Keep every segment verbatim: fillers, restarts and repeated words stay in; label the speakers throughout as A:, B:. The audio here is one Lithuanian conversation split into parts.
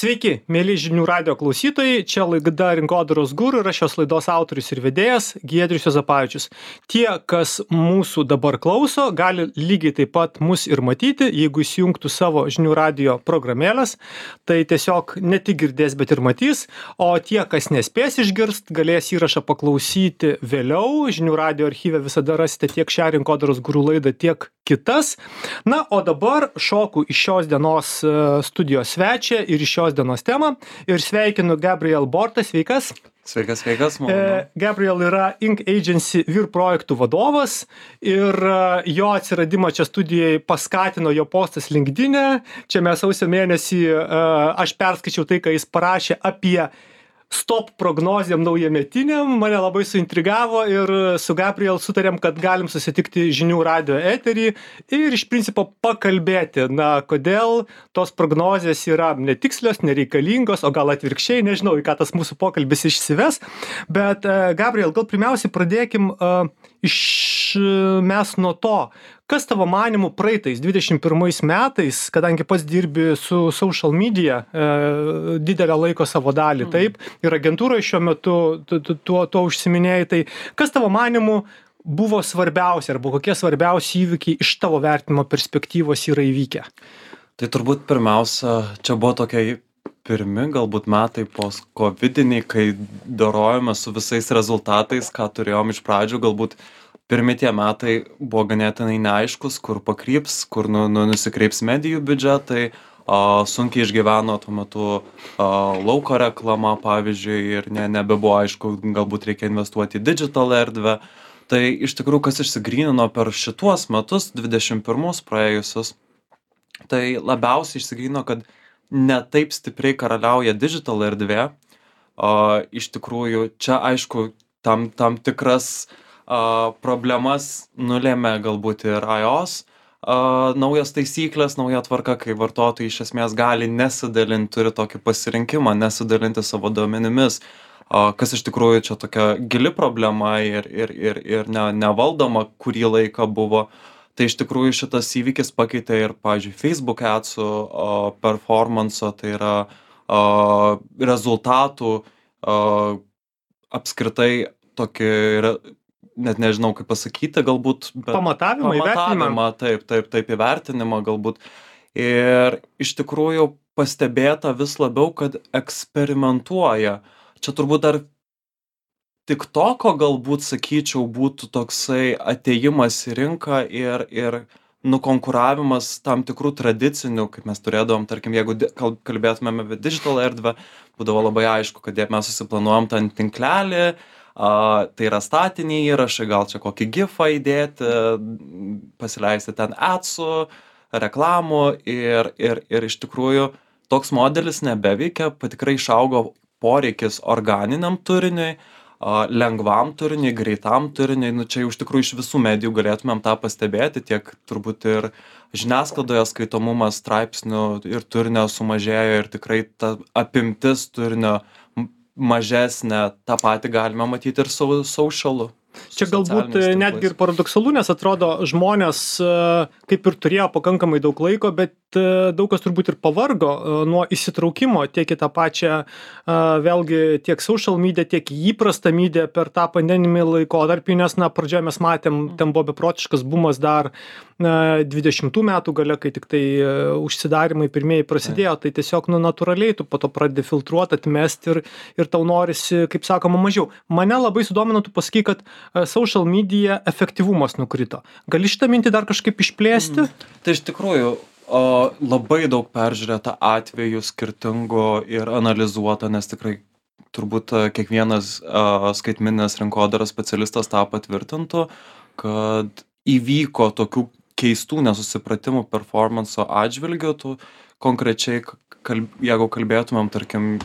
A: Sveiki, mėly žinių radio klausytojai, čia laida Rinkodaros guru ir aš šios laidos autorius ir vedėjas Giedrius Juozapavičius. Tie, kas mūsų dabar klauso, gali lygiai taip pat mus ir matyti, jeigu įsijungtų savo žinių radio programėlės, tai tiesiog ne tik girdės, bet ir matys, o tie, kas nespės išgirst, galės įrašą paklausyti vėliau. Žinių radio archyve visada rasite tiek šią Rinkodaros guru laidą, tiek kitas. Na, o dabar šoku iš šios dienos studijos svečią ir iš šios dienos temą ir sveikinu Gabriel Bortą. Sveikas.
B: Sveikas, sveikas.
A: E, Gabriel yra Ink Agency vyr projektų vadovas ir jo atsiradimą čia studijai paskatino jo postas LinkedIn'e. Čia mes sausio mėnesį, aš perskaičiau tai, ką jis parašė apie stop prognozėm naujametiniam, mane labai suintrigavo ir su Gabriel sutarėm, kad galim susitikti žinių radio eterį ir iš principo pakalbėti, na, kodėl tos prognozės yra netikslios, nereikalingos, o gal atvirkščiai, nežinau, į ką tas mūsų pokalbis išsives, bet Gabriel, gal pirmiausiai pradėkim uh, iš mes nuo to, kas tavo manymu praeitais dvidešimt pirmais metais, kadangi pats dirbi su social media e, didelę laiko savo dalį, taip, ir agentūroje šiuo metu tu, tu, tuo, tuo užsiminėjai, tai kas tavo manymu buvo svarbiausia arba kokie svarbiausi įvykiai iš tavo vertinimo perspektyvos yra įvykę?
B: Tai turbūt pirmiausia, čia buvo tokie pirmi galbūt metai post-covidiniai, kai dorojame su visais rezultatais, ką turėjom iš pradžių, galbūt pirmi tie metai buvo ganėtinai neaiškus, kur pakryps, kur nu, nu, nusikreips medijų biudžetai, a, sunkiai išgyveno tuo metu a, lauko reklama, pavyzdžiui, ir ne, nebebuvo aišku, galbūt reikia investuoti į digital erdvę. Tai iš tikrųjų, kas išsigrynino per šituos metus, dvidešimt pirmus praėjusius, tai labiausiai išsigrynino, kad ne taip stipriai karaliauja digital erdvė. A, iš tikrųjų, čia aišku, tam, tam tikras Uh, problemas nulėmė galbūt ir iOS, uh, naujas taisyklės, nauja tvarka, kai vartotojai iš esmės gali nesidalinti, turi tokį pasirinkimą, nesidalinti savo duomenimis, uh, kas iš tikrųjų čia tokia gili problema ir, ir, ir, ir ne, nevaldoma kurį laiką buvo. Tai iš tikrųjų šitas įvykis pakeitė ir, pavyzdžiui, Facebook adsų uh, performanso, tai yra uh, rezultatų uh, apskritai tokį net nežinau, kaip pasakyti, galbūt... Bet
A: pamatavimą, įvertinimą.
B: Taip, taip, taip, įvertinimą galbūt. Ir iš tikrųjų pastebėta vis labiau, kad eksperimentuoja. Čia turbūt dar TikToko galbūt, sakyčiau, būtų toksai atėjimas į rinką ir, ir nukonkuravimas tam tikrų tradicinių, kaip mes turėdavom, tarkim, jeigu kalbėtumėme apie digital erdvę, būdavo labai aišku, kad mes susiplanuojam tą tinklelį, Uh, tai yra statiniai įrašai, gal čia kokį gifą įdėti, pasileisti ten adsų, reklamų ir, ir, ir iš tikrųjų toks modelis nebeveikia, tikrai išaugo poreikis organiniam turiniui, uh, lengvam turiniui, greitam turiniui, nu čia jau iš tikrųjų iš visų medijų galėtumėm tą pastebėti, tiek turbūt ir žiniasklaidoje skaitomumas straipsnių ir turinio sumažėjo ir tikrai ta apimtis turinio mažesnė, tą patį galime matyti ir su socialu.
A: Čia galbūt netgi ir paradoksalu, nes atrodo žmonės kaip ir turėjo pakankamai daug laiko, bet daug kas turbūt ir pavargo nuo įsitraukimo tiek į tą pačią vėlgi tiek social media, tiek įprastą media per tą pandeminį laikotarpį, nes na, pradžioje mes matėm, ten buvo beprotiškas bumas dar dvidešimtų metų gale, kai tik tai užsidarymai pirmieji prasidėjo, tai tiesiog nu, natūraliai tu po to pradedi filtruoti, atmesti ir, ir tau norisi, kaip sakoma, mažiau. Mane labai sudomino, tu pasakai, kad social media efektyvumas nukrito. Gali šitą mintį dar kažkaip išplėsti?
B: Mm. Tai iš tikrųjų o, labai daug peržiūrėta atvejų skirtingų ir analizuota, nes tikrai turbūt kiekvienas a, skaitmeninės rinkodaros specialistas tą patvirtintų, kad įvyko tokių keistų nesusipratimų performanso atžvilgių, tu konkrečiai, kalb, jeigu kalbėtumėm, tarkim,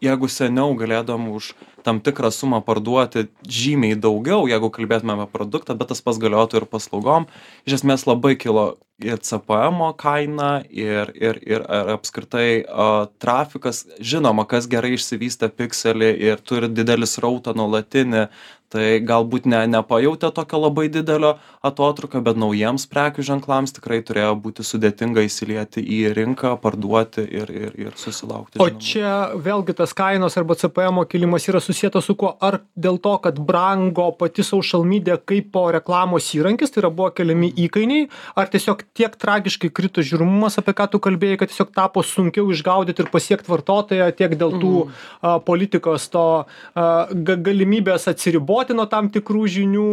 B: jeigu seniau galėdom už tam tikrą sumą parduoti žymiai daugiau, jeigu kalbėtumėm apie produktą, bet tas pats galiotų ir paslaugom, iš esmės labai kilo ir C P M-o kaina, ir, ir, ir ar apskritai uh, trafikas. Žinoma, kas gerai išsivystę pikselį ir turi didelį srautą nuolatinį, tai galbūt ne, nepajautė tokio labai didelio atotrukio, bet naujiems prekių ženklams tikrai turėjo būti sudėtinga įsilieti į rinką, parduoti ir, ir, ir susilaukti.
A: O
B: žinoma.
A: čia vėlgi tas kainos arba C P M-o kilimas yra susijęs su kuo? Ar dėl to, kad brango pati social media kaip po reklamos įrankis, tai yra buvo keliami įkainiai, ar tiesiog tiek tragiškai krito žiūrimumas, apie ką tu kalbėjai, kad tiesiog tapo sunkiau išgaudyti ir pasiekti vartotoją tiek dėl tų mm. a, politikos to a, ga, galimybės atsiriboti nuo tam tikrų žinių,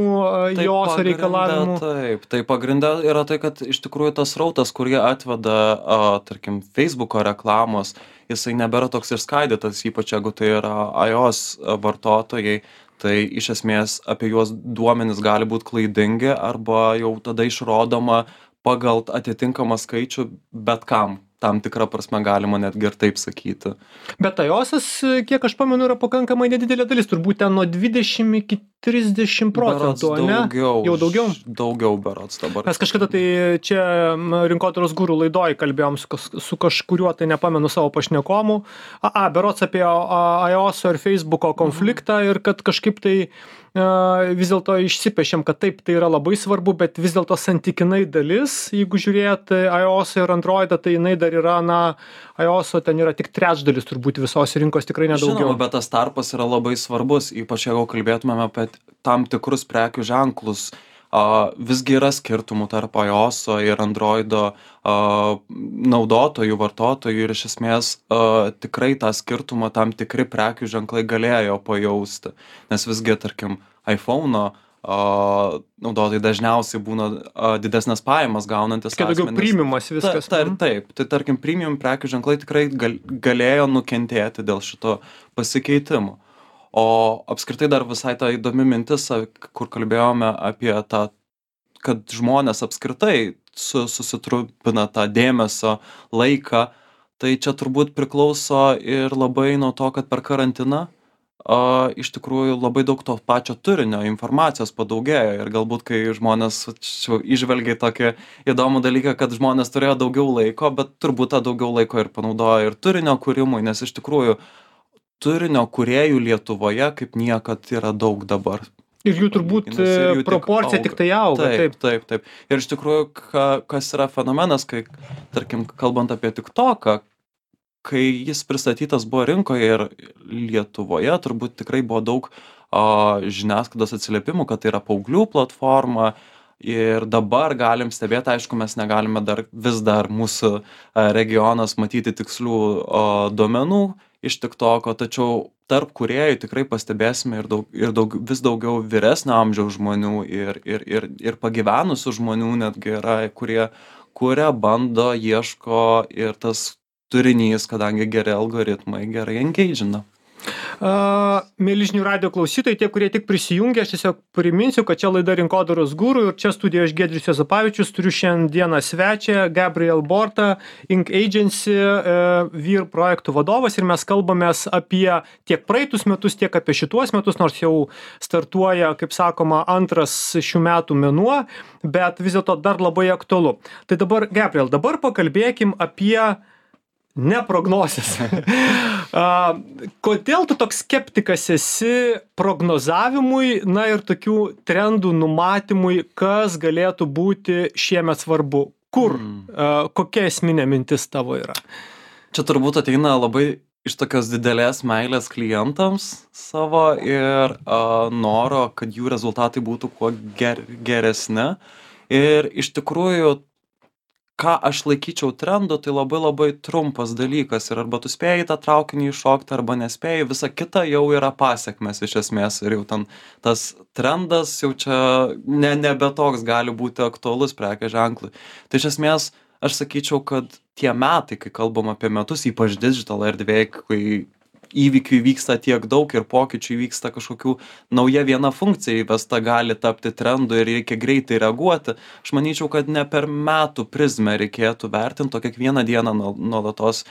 B: Tai
A: jos
B: pagrinde
A: reikalavimų.
B: Taip, tai pagrinde yra tai, kad iš tikrųjų tas rautas, kurį atveda, a, tarkim, Facebooko reklamos, jisai nebėra toks išskaidytas, ypač jeigu tai yra iOS vartotojai, tai iš esmės apie juos duomenys gali būti klaidingi arba jau tada išrodoma pagal atitinkamą skaičių bet kam. Tam tikrą prasme galima netgi ir taip sakyti.
A: Bet iOS'as, kiek aš pamenu, yra pakankamai nedidelė dalis, turbūt ten nuo dvidešimt iki trisdešimt procentų,
B: Berods
A: ne?
B: daugiau,
A: Jau daugiau?
B: Daugiau berods dabar.
A: Mes kažkada tai čia m, Rinkodaros guru laidoj kalbėjom su, kas- su kažkuriuo, tai nepamenu savo pašnekomu. A, a berods apie a, iOS'o ir Facebook'o konfliktą ir kad kažkaip tai a, vis dėlto išsipešėm, kad taip, tai yra labai svarbu, bet vis dėlto santykinai dalis, jeigu žiūrėt iOS ir Androidą, tai jinai dar yra, na, iOS'o ten yra tik trečdalis turbūt visos rinkos, tikrai nedaugiau.
B: Žinoma, bet tas tarpas yra labai svarbus, ypač jeigu kalbėtumėme apie tam tikrus prekių ženklus. A, visgi yra skirtumų tarp iOS'o ir Androido a, naudotojų, vartotojų ir iš esmės a, tikrai tą skirtumą tam tikri prekių ženklai galėjo pajausti. Nes visgi, tarkim, iPhone'o a, naudotojai dažniausiai būna a, didesnės pajamas gaunantis
A: Kai daugiau
B: asmenys.
A: premiumas viskas.
B: Ta, ta,
A: Mhm.
B: taip, tai tarkim premium prekių ženklai tikrai gal, galėjo nukentėti dėl šito pasikeitimo. O apskritai dar visai ta įdomi mintis, a, kur kalbėjome apie tą, kad žmonės apskritai su, susitrupina tą dėmesio laiką, tai čia turbūt priklauso ir labai nuo to, kad per karantiną a, iš tikrųjų labai daug to pačio turinio, informacijos padaugėjo ir galbūt kai žmonės čia išvelgia tokį įdomų dalyką, kad žmonės turėjo daugiau laiko, bet turbūt tą daugiau laiko ir panaudojo ir turinio kūrimui, nes iš tikrųjų turinio kūrėjų Lietuvoje kaip niekad yra daug dabar.
A: Ir jų turbūt
B: Palyginus, ir jų tik
A: proporcija
B: auga.
A: tik tai auga.
B: Taip, taip, taip. Ir iš tikrųjų, ka, kas yra fenomenas, kai, tarkim, kalbant apie TikToką, kai jis pristatytas buvo rinkoje ir Lietuvoje, turbūt tikrai buvo daug o, žiniasklaidos atsiliepimų, kad tai yra paauglių platforma. Ir dabar galim stebėti, aišku, mes negalime dar vis dar mūsų a, regionas matyti tikslių o, duomenų iš TikToko, tačiau tarp kūrėjų tikrai pastebėsime ir, daug, ir daug, vis daugiau vyresnio amžiaus žmonių ir, ir, ir, ir pagyvenusių žmonių netgi yra, kurie kuria, bando, ieško ir tas turinys, kadangi geri algoritmai gerai engage'ina.
A: Uh, Mėly žinių radijo klausytojai, tie, kurie tik prisijungė, aš tiesiog priminsiu, kad čia laida Rinkodaros guru ir čia studijoje aš Giedrius Juozapavičius, turiu šiandieną svečią Gabriel Borta, Ink Agency, uh, vyr projektų vadovas ir mes kalbamės apie tiek praeitus metus, tiek apie šituos metus, nors jau startuoja, kaip sakoma, antras šių metų mėnuo, bet vis dėlto dar labai aktualu. Tai dabar, Gabriel, dabar pakalbėkim apie ne prognozes. A, kodėl tu toks skeptikas esi prognozavimui, na ir tokių trendų numatymui, kas galėtų būti šiemet svarbu? Kur? Mm. A, kokia esminė mintis tavo yra?
B: Čia turbūt ateina labai iš tokios didelės meilės klientams savo ir a, noro, kad jų rezultatai būtų kuo ger, geresni. Ir iš tikrųjų, ką aš laikyčiau trendu, tai labai labai trumpas dalykas ir arba tu spėjai tą traukinį iššokti, arba nespėjai, visa kita jau yra pasiekmes iš esmės ir jau ten tas trendas jau čia ne, nebe toks gali būti aktualus prekės ženklui. Tai iš esmės aš sakyčiau, kad tie metai, kai kalbam apie metus, ypač digital erdvėje, kai įvykių vyksta tiek daug ir pokyčių vyksta kažkokių nauja viena funkcija įvesta gali tapti trendu ir reikia greitai reaguoti. Aš manyčiau, kad ne per metų prizmę reikėtų vertinti, o kiekvieną dieną nuolatos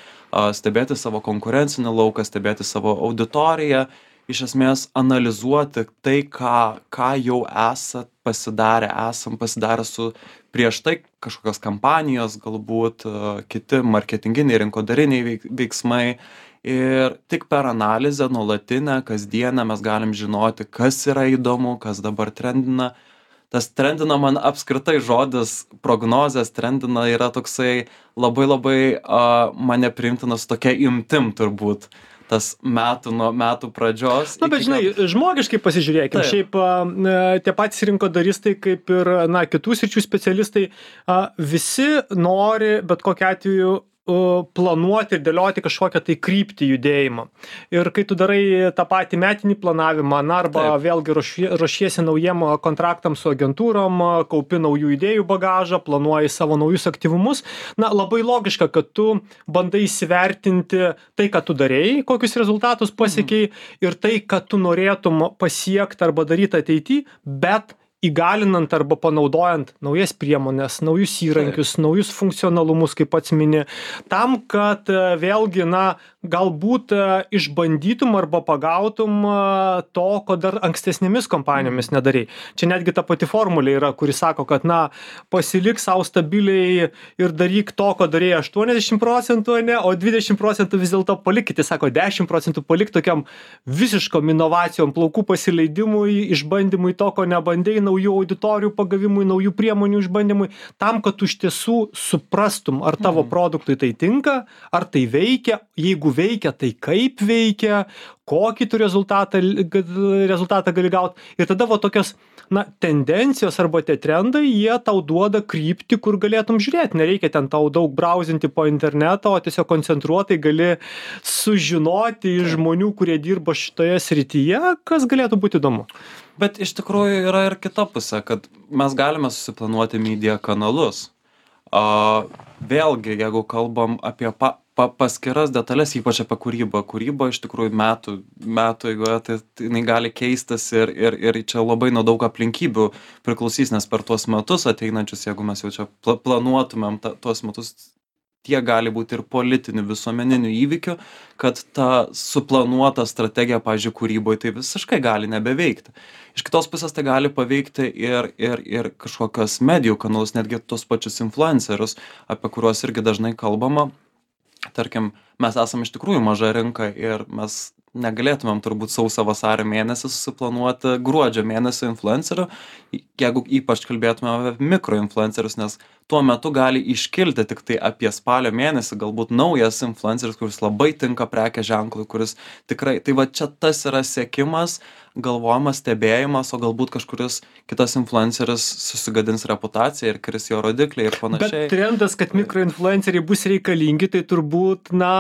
B: stebėti savo konkurencinį lauką, stebėti savo auditoriją, iš esmės analizuoti tai, ką, ką jau esat pasidarę, esam pasidarę su prieš tai kažkokios kampanijos, galbūt kiti marketinginiai, rinkodariniai veiksmai. Ir tik per analizę nuolatinę, kasdienę mes galim žinoti, kas yra įdomu, kas dabar trendina. Tas trendina man apskritai žodis prognozės trendina yra toksai labai labai uh, mane priimtinas tokia imtim turbūt. Tas metų nuo metų pradžios.
A: Na, bet žinai, kad... žmogiškai pasižiūrėkim. Taip. Šiaip a, tie patys rinkodaristai, kaip ir, na, kitų sričių specialistai, a, visi nori, bet kokiu atveju, planuoti ir dėlioti kažkokią tai kryptį judėjimą. Ir kai tu darai tą patį metinį planavimą, na, arba Taip. Vėlgi ruošie, ruošiesi naujiem kontraktam su agentūrom, kaupi naujų idėjų bagažą, planuoji savo naujus aktyvumus, na, labai logiška, kad tu bandai įsivertinti tai, ką tu darėjai, kokius rezultatus pasiekiai mhm. ir tai, kad tu norėtum pasiekti arba daryti ateityje, bet įgalinant arba panaudojant naujas priemonės, naujus įrankius, Taip. Naujus funkcionalumus, kaip pats mini, tam, kad vėlgi, na, galbūt išbandytum arba pagautum to, ko dar ankstesnėmis kompanijomis nedarei. Čia netgi ta pati formulė yra, kuri sako, kad, na, pasilik savo stabiliai ir daryk to, ko darėjai aštuoniasdešimt procentų, ne, o dvidešimt procentų vis dėlto palikite, sako, dešimt procentų palik tokiam visiškom inovacijom, plaukų pasileidimui, išbandymui to, ko nebandėjai, naujų auditorijų pagavimui, naujų priemonių išbandymui, tam, kad tu iš tiesų suprastum, ar tavo mm. produktui tai tinka, ar tai veikia, jeigu veikia, tai kaip veikia, kokį tu rezultatą, rezultatą gali gauti. Ir tada va tokios, na, tendencijos arba tie trendai, jie tau duoda kryptį, kur galėtum žiūrėti. Nereikia ten tau daug brausinti po internetą, o tiesiog koncentruotai gali sužinoti iš žmonių, kurie dirba šitoje srityje, kas galėtų būti įdomu.
B: Bet iš tikrųjų yra ir kita pusė, kad mes galime susiplanuoti media kanalus. Uh, vėlgi, jeigu kalbam apie pa, pa, paskiras detalės, ypač apie kūrybą, kūryba iš tikrųjų metų, metų eigoje, tai, tai jinai gali keistis ir, ir, ir čia labai nuo daug aplinkybių priklausys, nes per tuos metus ateinančius, jeigu mes jau čia pla, planuotumėm ta, tuos metus, tie gali būti ir politinių, visuomeninių įvykių, kad ta suplanuota strategija, pavyzdžiui, kūryboje, tai visiškai gali nebeveikti. Iš kitos pusės tai gali paveikti ir, ir, ir kažkokios medijų kanalus, netgi tos pačius influencerius, apie kuriuos irgi dažnai kalbama. Tarkim, mes esame iš tikrųjų maža rinka ir mes negalėtumėm turbūt sausio vasario mėnesį susiplanuoti gruodžio mėnesio influencerių, jeigu ypač kalbėtume apie mikroinfluencerius, nes tuo metu gali iškilti tik tai apie spalio mėnesį galbūt naujas influenceris, kuris labai tinka prekės ženklui, kuris tikrai, tai va čia tas yra sekimas, galvojimas, stebėjimas, o galbūt kažkuris kitas influenceris susigadins reputaciją ir kris jo rodikliai ir panašiai.
A: Bet trendas, kad mikroinfluenceriai bus reikalingi, tai turbūt, na,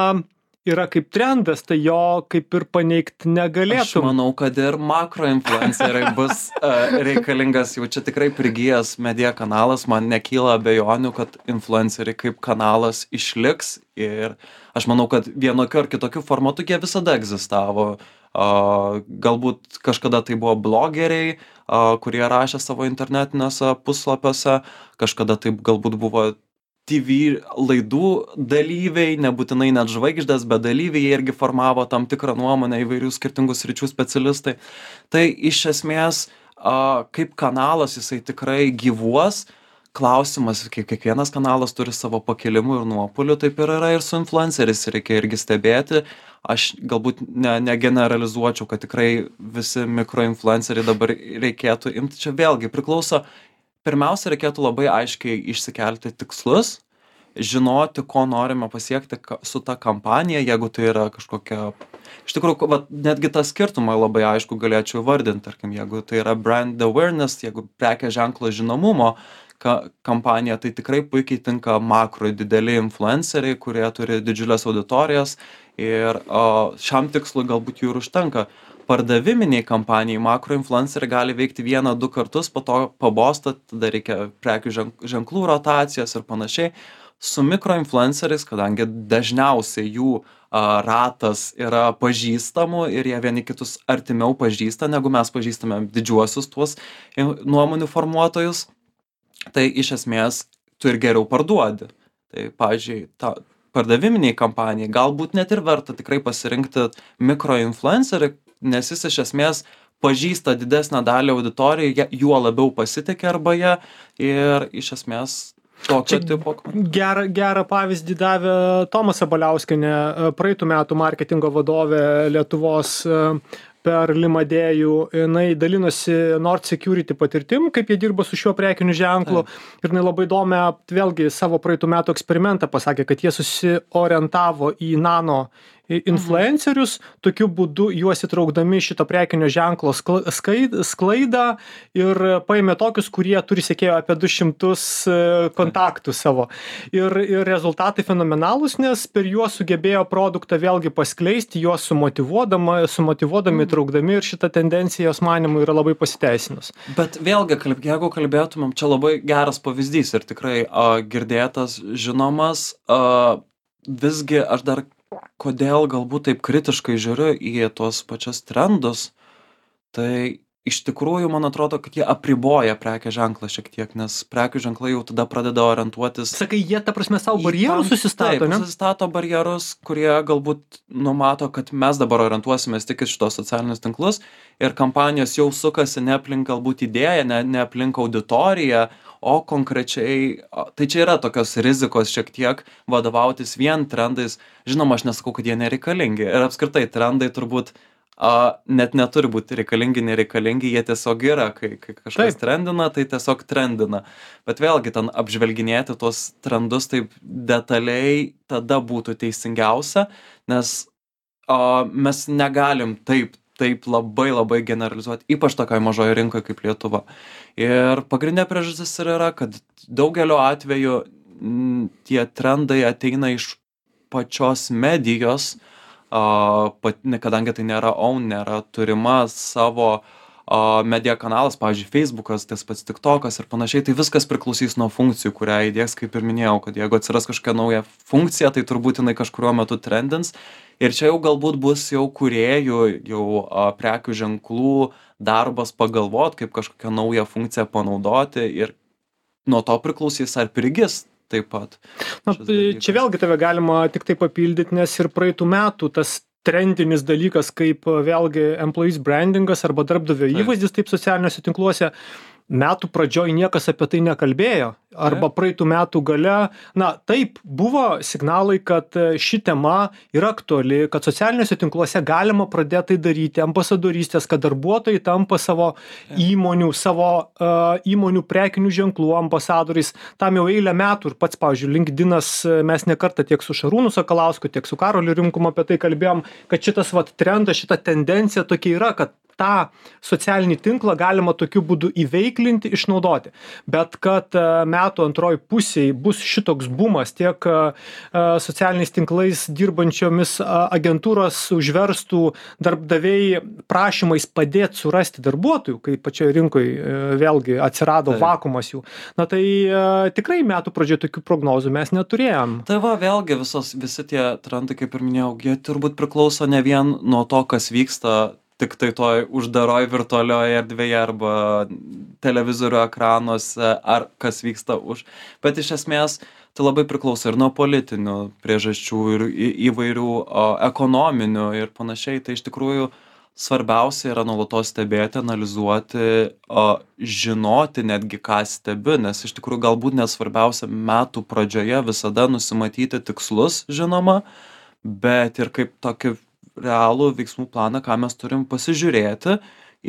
A: yra kaip trendas, tai jo kaip ir paneigti negalėtum.
B: Aš manau, kad ir makroinfluenceriai bus uh, reikalingas, jau čia tikrai prigijęs media kanalas, man nekyla abejonių, kad influenceriai kaip kanalas išliks ir aš manau, kad vienokiu ar kitokiu formatu jie visada egzistavo. Uh, galbūt kažkada tai buvo blogeriai, uh, kurie rašė savo internetiniuose puslapiuose, kažkada tai galbūt buvo T V laidų dalyviai, nebūtinai net žvaigždės, bet dalyviai, jie irgi formavo tam tikrą nuomonę, įvairių skirtingų sričių specialistai. Tai iš esmės, kaip kanalas jisai tikrai gyvuos, klausimas, kiek kiekvienas kanalas turi savo pakilimų ir nuopuolių, taip ir yra ir su influenceris, reikia irgi stebėti. Aš galbūt ne, negeneralizuočiau, kad tikrai visi mikroinfluenceriai dabar reikėtų imti. Čia vėlgi priklauso. Pirmiausia, reikėtų labai aiškiai išsikelti tikslus, žinoti, ko norime pasiekti su ta kampanija, jeigu tai yra kažkokia... Iš tikrųjų, va, netgi tą skirtumą labai aišku galėčiau vardinti, tarkim, jeigu tai yra brand awareness, jeigu prekės ženklo žinomumo ka, kampanija, tai tikrai puikiai tinka makro dideli influenceriai, kurie turi didžiulės auditorijas ir o, šiam tikslui galbūt jų ir užtenka. Pardaviminiai kampanijai makroinfluenceriai gali veikti vieną, du kartus, po to pabosta, tada reikia prekių ženklų rotacijos ir panašiai. Su mikroinfluenceriais, kadangi dažniausiai jų a, ratas yra pažįstamų ir jie vieni kitus artimiau pažįsta, negu mes pažįstame didžiuosius tuos nuomonių formuotojus, tai iš esmės tu ir geriau parduodi. Tai, pavyzdžiui, ta pardaviminiai kampanijai galbūt net ir verta tikrai pasirinkti mikroinfluencerį, nes jis iš esmės pažįsta didesnę dalį auditorijų, juo labiau pasitikė arba jie ir iš esmės tokio tipo.
A: Gerą, gerą pavyzdį davė Tomas Sabaliauskienė, praeitų metų marketingo vadovė Lietuvos per Limadėjų. Jinai dalinosi Nord Security patirtim, kaip jie dirba su šiuo prekiniu ženklu. Taip. Ir jinai labai įdomią, vėlgi, savo praeitų metų eksperimentą pasakė, kad jie susiorientavo į nano influencerius, tokiu būdu juos įtraukdami šito prekinio ženklo sklaidą ir paėmė tokius, kurie turi sekėjų apie du šimtus kontaktų savo. Ir, ir rezultatai fenomenalūs, nes per juos sugebėjo produktą vėlgi paskleisti, juos sumotyvuodama, sumotyvuodami, įtraukdami ir šita tendencija, jos manimų, yra labai pasiteisinus.
B: Bet vėlgi, jeigu kalbėtumėm, čia labai geras pavyzdys ir tikrai a, girdėtas, žinomas, a, visgi aš dar kodėl galbūt taip kritiškai žiūriu į tuos pačius trendus, tai iš tikrųjų man atrodo, kad jie apriboja prekės ženklą šiek tiek, nes prekių ženklai jau tada pradeda orientuotis.
A: Sakai, jie ta prasme savo barjerus susistato,
B: taip,
A: ne?
B: Susistato barjerus, kurie galbūt numato, kad mes dabar orientuosimės tik į šitos socialinius tinklus ir kampanijos jau sukasi ne aplink galbūt idėją, ne, ne aplink auditoriją, o konkrečiai, tai čia yra tokios rizikos šiek tiek vadovautis vien trendais. Žinoma, aš nesakau, kad jie nereikalingi. Ir apskritai trendai turbūt a, net neturi būti reikalingi, nereikalingi, jie tiesiog yra. Kai, kai kažkas taip trendina, tai tiesiog trendina. Bet vėlgi ten apžvelginėti tuos trendus taip detaliai tada būtų teisingiausia, nes a, mes negalim taip taip labai labai generalizuoti, ypač tokioje mažoje rinkoje kaip Lietuva. Ir pagrindinė priežastis ir yra, kad daugelio atveju m, tie trendai ateina iš pačios medijos, a, pat, kadangi tai nėra own, nėra turima savo a, media kanalas, pavyzdžiui, Facebookas, tas pats TikTokas ir panašiai, tai viskas priklausys nuo funkcijų, kurią įdės, kaip ir minėjau, kad jeigu atsiras kažkokia nauja funkcija, tai turbūt jinai kažkuriuo metu trendins. Ir čia jau galbūt bus jau kūrėjų, jau a, prekių ženklų darbas pagalvot, kaip kažkokią naują funkciją panaudoti ir nuo to priklausys ar prigis taip pat.
A: Na, čia vėlgi tave galima tik tai papildyti, nes ir praeitų metų tas trendinis dalykas kaip vėlgi employees brandingas arba darbdavio įvaizdis taip socialiniuose tinkluose. Metų pradžioj niekas apie tai nekalbėjo. Arba praeitų metų gale, na taip, buvo signalai, kad ši tema yra aktuali, kad socialiniuose tinkluose galima pradėti tai daryti, ambasadorystės, kad darbuotojai tampa savo įmonių, savo uh, įmonių prekinių ženklų ambasadoriais. Tam jau eilę metų ir pats, pavyzdžiui, LinkedInas, mes ne kartą tiek su Šarūnu Sakalausku, tiek su Karoliu Rimkum apie tai kalbėjom, kad šitas vat trendas, šita tendencija tokia yra, kad tą socialinį tinklą galima tokiu būdu įveiklinti, išnaudoti. Bet kad metų antroj pusėj bus šitoks bumas, tiek socialiniais tinklais dirbančiomis agentūros užverstų darbdaviai prašymais padėti surasti darbuotojų, kai pačioje rinkoje vėlgi atsirado tai vakumas jų. Na tai tikrai metų pradžioje tokių prognozų mes neturėjom.
B: Tai va, vėlgi visos, visi tie trendai, kaip ir minėjau, jie turbūt priklauso ne vien nuo to, kas vyksta tik tai toj uždaroj virtualioje erdvėje arba televizorių ekranuose, ar kas vyksta už. Bet iš esmės tai labai priklauso ir nuo politinių priežasčių ir įvairių o, ekonominių ir panašiai. Tai iš tikrųjų svarbiausia yra nuolatos stebėti, analizuoti, o, žinoti netgi ką stebi, nes iš tikrųjų galbūt nesvarbiausia metų pradžioje visada nusimatyti tikslus, žinoma, bet ir kaip tokį realų veiksmų planą, ką mes turim pasižiūrėti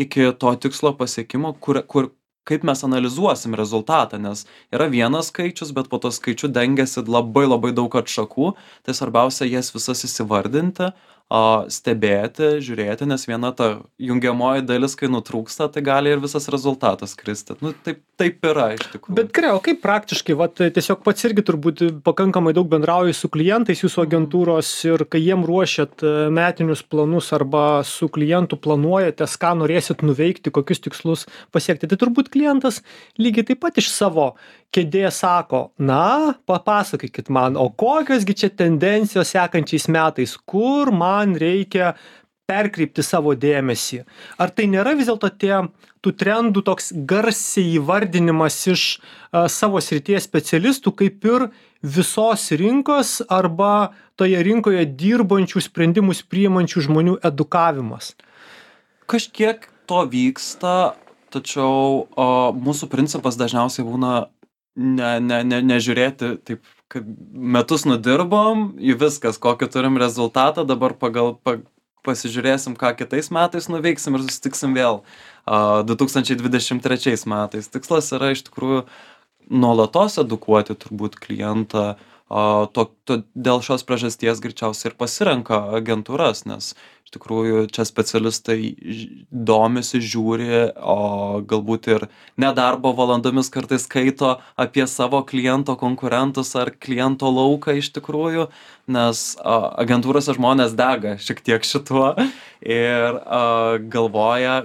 B: iki to tikslo pasiekimo, kur, kur, kaip mes analizuosim rezultatą, nes yra vienas skaičius, bet po to skaičiu dengiasi labai labai daug atšakų, tai svarbiausia jas visas įsivardinti, o, stebėti, žiūrėti, nes viena ta jungiamoji dalis, kai nutrūksta, tai gali ir visas rezultatas kristi. Nu, taip, taip yra iš tikrųjų.
A: Bet gerai, o kaip praktiškai, vat, tiesiog pats irgi turbūt pakankamai daug bendrauji su klientais jūsų agentūros ir kai jiem ruošiat metinius planus arba su klientu planuojatės, ką norėsit nuveikti, kokius tikslus pasiekti, tai turbūt klientas lygiai taip pat iš savo kėdės sako, na, papasakykit man, o kokios gi čia tendencijos sekančiais metais, kur man reikia perkreipti savo dėmesį. Ar tai nėra vis dėlto tie tų trendų toks garsiai įvardinimas iš a, savo srities specialistų, kaip ir visos rinkos arba toje rinkoje dirbančių sprendimus priimančių žmonių edukavimas?
B: Kažkiek to vyksta, tačiau o, mūsų principas dažniausiai būna ne, ne, ne, nežiūrėti taip, kad metus nudirbom, į viskas, kokį turim rezultatą, dabar pagal, pa, pasižiūrėsim, ką kitais metais nuveiksim ir susitiksim vėl a, du tūkstančiai dvidešimt trečiais metais. Tikslas yra iš tikrųjų nuolatos edukuoti turbūt klientą. O, to, to, dėl šios priežasties greičiausiai ir pasirenka agentūras, nes iš tikrųjų čia specialistai domisi, žiūri, o galbūt ir nedarbo valandomis kartais skaito apie savo kliento konkurentus ar kliento lauką iš tikrųjų, nes a, agentūrose žmonės dega šiek tiek šituo ir a, galvoja,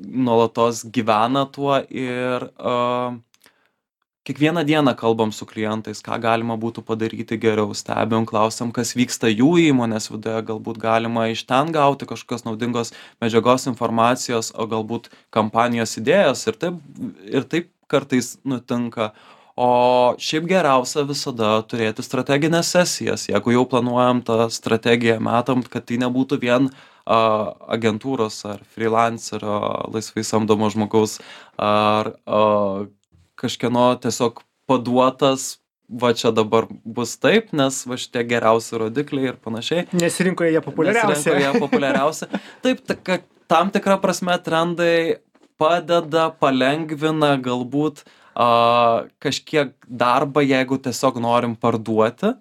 B: nuolatos gyvena tuo ir a, kiekvieną dieną kalbam su klientais, ką galima būtų padaryti geriau, stebim, klausiam, kas vyksta jų įmonės viduje, galbūt galima iš ten gauti kažkokios naudingos medžiagos informacijos, o galbūt kampanijos idėjos ir taip, ir taip kartais nutinka. O šiaip geriausia visada turėti strateginės sesijas, jeigu jau planuojam tą strategiją, metam, kad tai nebūtų vien a, agentūros ar freelancerio, laisvai samdomo žmogaus ar a, kažkieno tiesiog paduotas, va čia dabar bus taip, nes va šitie geriausi rodikliai ir panašiai.
A: Nes rinkoje jie populiariausi.
B: Nes rinkoje jie populiariausi. Taip, ta, kad tam tikra prasme trendai padeda, palengvina galbūt a, kažkiek darbą, jeigu tiesiog norim parduoti,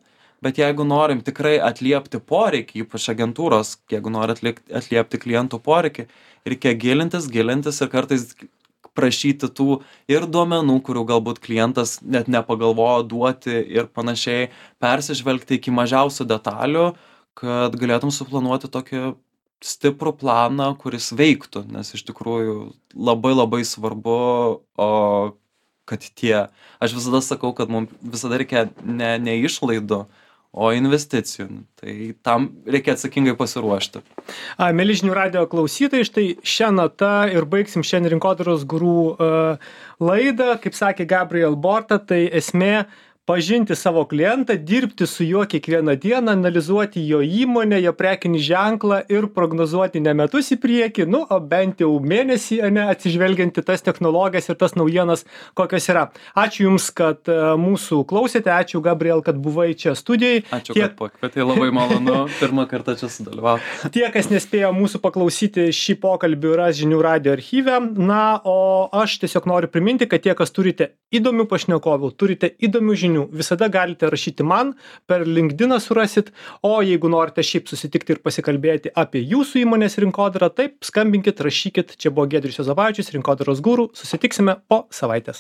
B: bet jeigu norim tikrai atliepti poreikį, ypač agentūros, jeigu nori atliepti klientų poreikį, reikia gilintis, gilintis ir kartais prašyti tų ir duomenų, kurių galbūt klientas net nepagalvojo duoti ir panašiai, persižvelgti iki mažiausių detalių, kad galėtum suplanuoti tokį stiprų planą, kuris veiktų, nes iš tikrųjų labai labai svarbu, o, kad tie, aš visada sakau, kad mums visada reikia ne, ne išlaidų, o investicijų. Tai tam reikia atsakingai pasiruošti.
A: A, mieli žinių radijo klausytojai, štai šią natą ir baigsim šiandien Rinkodaros guru uh, laidą. Kaip sakė Gabriel Borta, tai esmė pažinti savo klientą, dirbti su juo kiekvieną dieną, analizuoti jo įmonę, jo prekinį ženklą ir prognozuoti ne metus į priekį, nu, o bent jau mėnesį, ne, atsižvelgiant į tas technologijas ir tas naujienas, kokios yra. Ačiū Jums, kad uh, mūsų klausėte, ačiū Gabriel, kad buvai čia studijai.
B: Ačiū,
A: Tiek...
B: kad pakvietei, labai malonu pirmą kartą čia sudalyvauti.
A: Tie, kas nespėjo mūsų paklausyti šį pokalbį, ras žinių radijo archyve. Na, o aš tiesiog noriu priminti, kad tie, kas turite įdomių pašnekovų, turite įdomių žinių, visada galite rašyti man, per LinkedIną surasit, o jeigu norite šiaip susitikti ir pasikalbėti apie jūsų įmonės rinkodarą, taip, skambinkit, rašykit. Čia buvo Giedrius Juozapavičius, Rinkodaros guru. Susitiksime po savaitės.